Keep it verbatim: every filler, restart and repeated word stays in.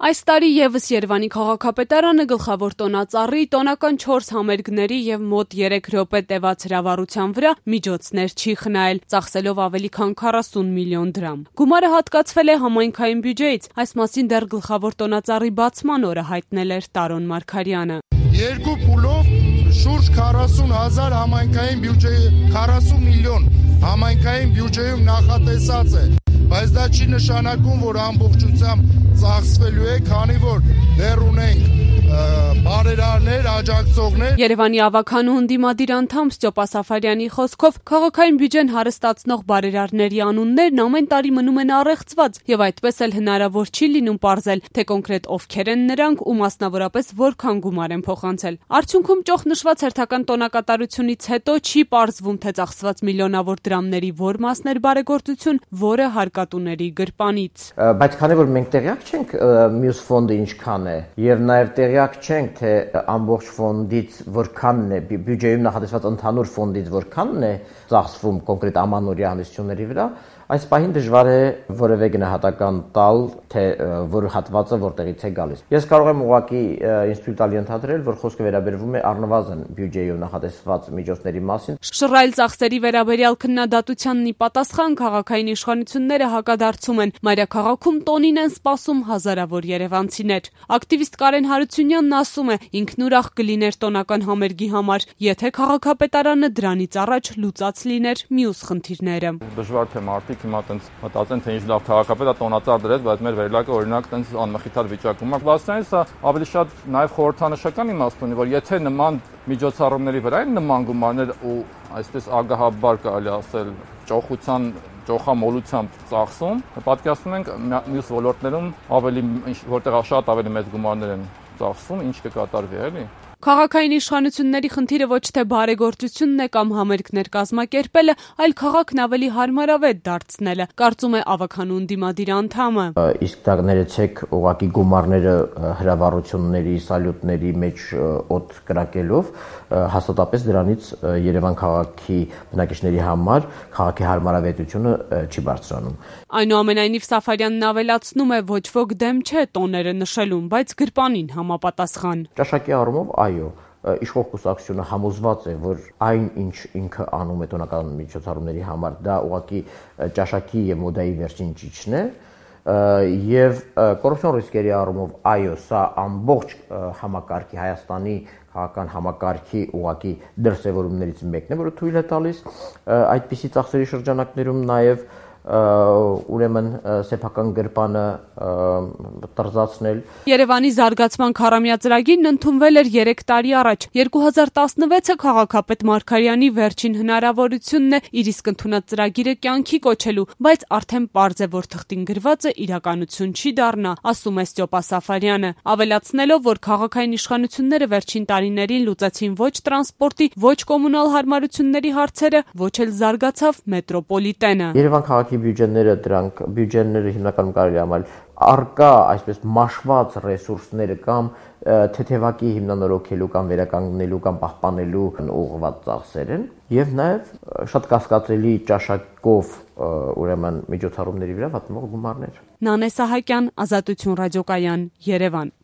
Այս տարի ևս Երևանի քաղաքապետարանը գլխավոր տոնածառի, տոնական չորս համերգների և մոտ երեք րոպե տևած հրավառության վրա միջոցներ չի խնայել, ծախսելով ավելի քան քառասուն միլիոն դրամ։ Գումարը հատկացվել է համայնքային բյուջեից, այս մասին դեռ գլխավոր տոնածառի բացման օրը հայտնել էր Տարոն Մարգարյանը։ Երկու փուլով շուրջ քառասուն հազար համայնքային բյուջեի, քառասուն միլիոն համայնքային բյուջեում նախատեսած է, բայց դա չի նշանակում, որ ամբողջությամբ ծախսվելու է, քանի որ դեռ ունենք բարերարներ, աջակցողներ։ Երևանի ավագանու ընդդիմադիր անդամ Ստյոպա Սաֆարյանի խոսքով քաղաքային բյուջեն հարստացնող բարերարների անուններն ամեն տարի մնում են առեղծված եւ այդպես էլ հնարավոր չի լինում պարզել, թե կոնկրետ ովքեր են նրանք ու մասնավորապես որքան գումար են փոխանցել։ Արդյունքում ճոխ նշված հերթական տոնակատարությունից հետո չի պարզվում, թե ծախսված միլիոնավոր դրամների որ մասն էր բարեգործություն, որը հարկատուների գրպանից։ Բայց քանի որ մենք տեղյակ չենք մյուս ֆոնդը ինչքան է եւ նաեւ տեղյակ չենք, թե ամբողջ ֆոնդից որքանն է, բյուջեում նախատեսված ընդհանուր ֆոնդից որքանն է ծախսվում կոնկրետ ամանորյա հանդիսությունների վրա, այս պահին դժվար է որևէ գնահատական տալ, թե որ հատվածը որտեղից է գալիս։ Ես կարող եմ ուղղակի ինստիտուտ տալ ենթադրել, որ խոսքը վերաբերվում է առնվազն բյուջեով նախատեսված միջոցների մասին։ Շռայլ ծախսերի վերաբերյալ քննադատությանն ի պատասխան քաղաքային իշխանությունները հակադարձում են, մայրաքաղաքում տոնին են սպասում հազարավոր երևանցիներ։ Ակտիվիստ Կարեն Հարությունյանն ասում է, ինքն ուրախ կլիներ տոնական համերգի համար, եթե քաղաքապետարանը դրանից առաջ լուծած լիներ մյուս խնդիրները։ Դժվար թե մարդիկ հիմա տենց մտածեն, թե ինչ լավ քաղաքապետ է տոնածառ դրեց, բայց մեր վերելակը օրինակ տենց անմխիթար վիճակում է։ Բացի սա ավելի շատ նաև խորհրդանշական իմաստ ունի, որ եթե նման միջոցառումների վրա են նման գումարներ ու այսպես ագահաբար կարելի ասել ճոխության ճոխամոլությամբ ծախսում, պատկերացնում ենք մյուս ոլորտներում ավելի որտեղ շատ ավելի մեծ գումարներ են ծախսում, ինչ կկատարվի, էլի։ Քաղաքային իշխանությունների խնդիրը ոչ թե բարեգործությունն է կամ համերգներ կազմակերպելը, այլ քաղաքն ավելի հարմարավետ դարձնելը, կարծում է ավագանու ընդդիմադիր անդամը։ Իսկ դա ներեցեք ուղղակի գումարները հրավառությունների, սալյուտների մեջ օդ կրակելով, հաստատապես դրանից Երևան քաղաքի բնակիչների համար քաղաքի հարմարավետությունը չի բարձրանում։ Այնուամենայնիվ Սաֆարյանն ավելացնում է, ոչ ոք դեմ չէ տոները նշելուն, բայց գրպանին համապատասխան։ Ճաշակի առումով այո, իշխող կուսակցությունը համոզված է, որ այն ինչ ինքը անում է տոնական միջոցառումների համար, դա ուղղակի ճաշակի եւ մոդայի վերջին ճիճն է, եւ կոռուպցիոն ռիսկերի առումով այո, սա ամբողջ համակարգի Հայաստանի քաղաքական համակարգի ուղղակի դրսևորումներից մեկն է, որը թույլ է տալիս այդպիսի ծախսերի շրջանակներում նաեւ ուրեմն սեփական գրպանը տրզացնել։ Երևանի զարգացման քառամյա ծրագիրն ընդունվել էր երեք տարի առաջ։ երկու հազար տասնվեցը քաղաքապետ Մարգարյանի վերջին հնարավորությունն է իր իսկ ընդունած ծրագիրը կյանքի կոչելու, բայց արդեն պարզ է, որ թղթին գրվածը իրականություն չի դառնա, ասում է Ստյոպա Սաֆարյանը, ավելացնելով, որ քաղաքային իշխանությունները վերջին տարիներին լուծեցին ոչ տրանսպորտի, ոչ կոմունալ հարմարությունների հարցերը, ոչ էլ զարգացավ մետրոպոլիտենը։ Երևան քաղաքի բյուջեները, դրանք բյուջեները հիմնականում կարելի է համարել արկա այսպես մաշված ռեսուրսները կամ թեթևակի հիմնանորոգելու կամ վերականգնելու կամ պահպանելու ուղղված ծախսեր են եւ նաեւ շատ կասկածելի ճաշակով ուրեմն միջոցառումների վրա վատնող գումարներ։ Նանե Սահակյան, Ազատություն ռադիոկայան, Երևան։